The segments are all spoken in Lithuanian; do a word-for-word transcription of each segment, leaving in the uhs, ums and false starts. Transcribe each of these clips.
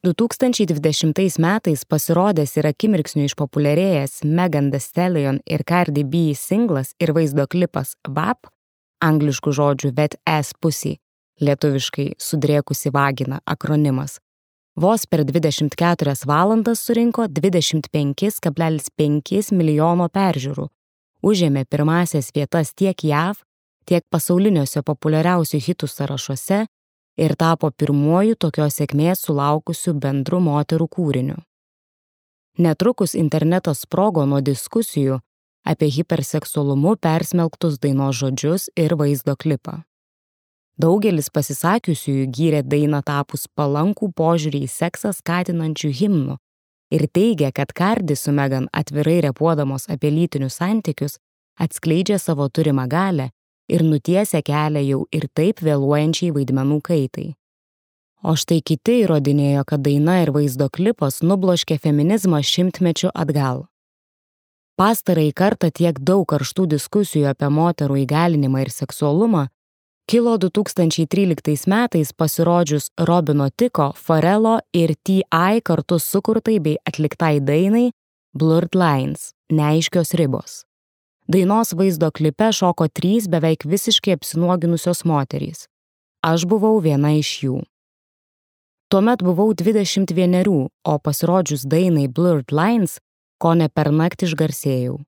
du tūkstančiai dvidešimtais metais pasirodęs ir akimirksniu išpopuliarėjęs Megan Thee Stallion ir Cardi B singlas ir vaizdo klipas V A P, angliškų žodžių Wet Ass Pussy, lietuviškai sudrėkusi vagina akronimas, vos per dvidešimt keturias valandas surinko dvidešimt penki kablelis penki milijono peržiūrų, užėmė pirmąsias vietas tiek J A V, tiek pasauliniuose populiariausių hitų sąrašuose ir tapo pirmuoju tokios sėkmės sulaukusiu bendru moterų kūriniu. Netrukus internetas sprogo nuo diskusijų apie hiperseksualumu persmelktus dainos žodžius ir vaizdo klipą. Daugelis pasisakiusiųjų gyrė dainą tapus palankų požiūrį į seksą skatinančių himnų ir teigia, kad Cardi su Megan atvirai repuodamos apie lytinius santykius atskleidžia savo turimą galią ir nutiesia kelią jau ir taip vėluojančiai vaidmenų kaitai. O štai kiti įrodinėjo, kad daina ir vaizdo klipas nubloškė feminizmą šimtmečių atgal. Pastarąjį kartą tiek daug karštų diskusijų apie moterų įgalinimą ir seksualumą kilo du tūkstančiai tryliktais metais pasirodžius Robino Thicko, Pharrello ir T I kartu sukurtai bei atliktai dainai Blurred Lines – neaiškios ribos. Dainos vaizdo klipe šoko trys beveik visiškai apsinuoginusios moterys. Aš buvau viena iš jų. Tuomet buvau dvidešimt vienerių, o pasirodžius dainai Blurred Lines, kone pernakt išgarsėjau.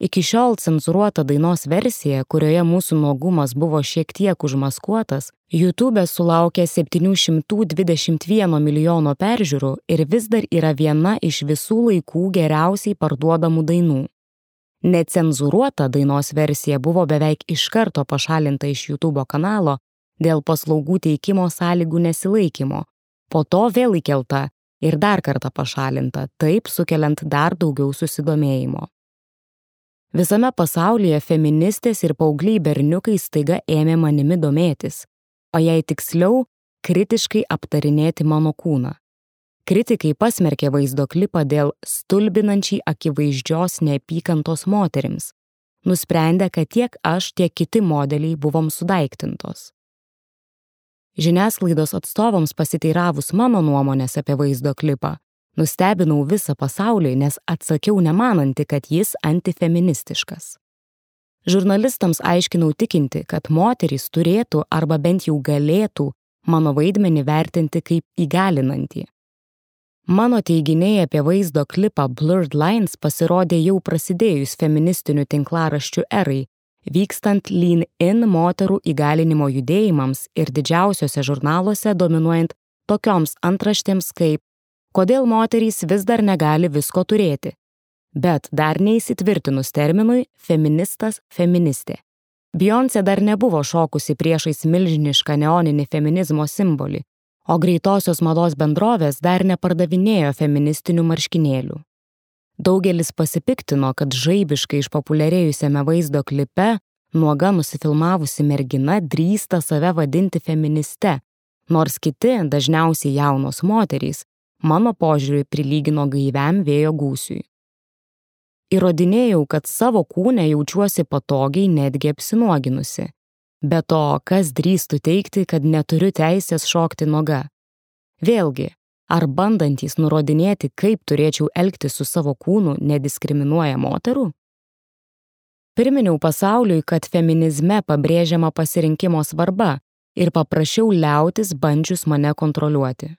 Iki šiol cenzūruota dainos versija, kurioje mūsų nuogumas buvo šiek tiek užmaskuotas, YouTube sulaukė septynių šimtų dvidešimt vieno milijono peržiūrų ir vis dar yra viena iš visų laikų geriausiai parduodamų dainų. Necenzūruota dainos versija buvo beveik iš karto pašalinta iš YouTube kanalo dėl paslaugų teikimo sąlygų nesilaikymo, po to vėl įkelta ir dar kartą pašalinta, taip sukeliant dar daugiau susidomėjimo. Visame pasaulyje feministės ir paaugliai berniukai staiga ėmė manimi domėtis, o jei tiksliau, kritiškai aptarinėti mano kūną. Kritikai pasmerkė vaizdo klipą dėl stulbinančiai akivaizdžios neapykantos moterims, nusprendę, kad tiek aš, tiek kiti modeliai buvom sudaiktintos. Žiniasklaidos atstovams pasiteiravus mano nuomonės apie vaizdo klipą, nustebinau visą pasaulį, nes atsakiau nemananti, kad jis antifeministiškas. Žurnalistams aiškinau tikinti, kad moterys turėtų arba bent jau galėtų mano vaidmenį vertinti kaip įgalinantį. Mano teiginiai apie vaizdo klipą Blurred Lines pasirodė jau prasidėjus feministinių tinklaraščių erai, vykstant Lean In moterų įgalinimo judėjimams ir didžiausiose žurnaluose dominuojant tokioms antraštėms kaip kodėl moterys vis dar negali visko turėti, bet dar neįsitvirtinus terminui feministas feministė. Beyoncé dar nebuvo šokusi priešais milžinišką neoninį feminizmo simbolį, o greitosios mados bendrovės dar nepardavinėjo feministinių marškinėlių. Daugelis pasipiktino, kad žaibiškai išpopuliarėjusiame vaizdo klipe nuoga nusifilmavusi mergina drįsta save vadinti feministe, nors kiti, dažniausiai jaunos moterys, mano požiūrį prilygino gaiviam vėjo gūsiui. Įrodinėjau, kad savo kūne jaučiuosi patogiai netgi apsinuoginusi. Be to, kas drįstų teigti, kad neturiu teisės šokti nuoga? Vėlgi, ar bandantys nurodinėti, kaip turėčiau elgtis su savo kūnu, nediskriminuoja moterų? Priminiau pasauliui, kad feminizme pabrėžiama pasirinkimo svarba ir paprašiau liautis bandžius mane kontroliuoti.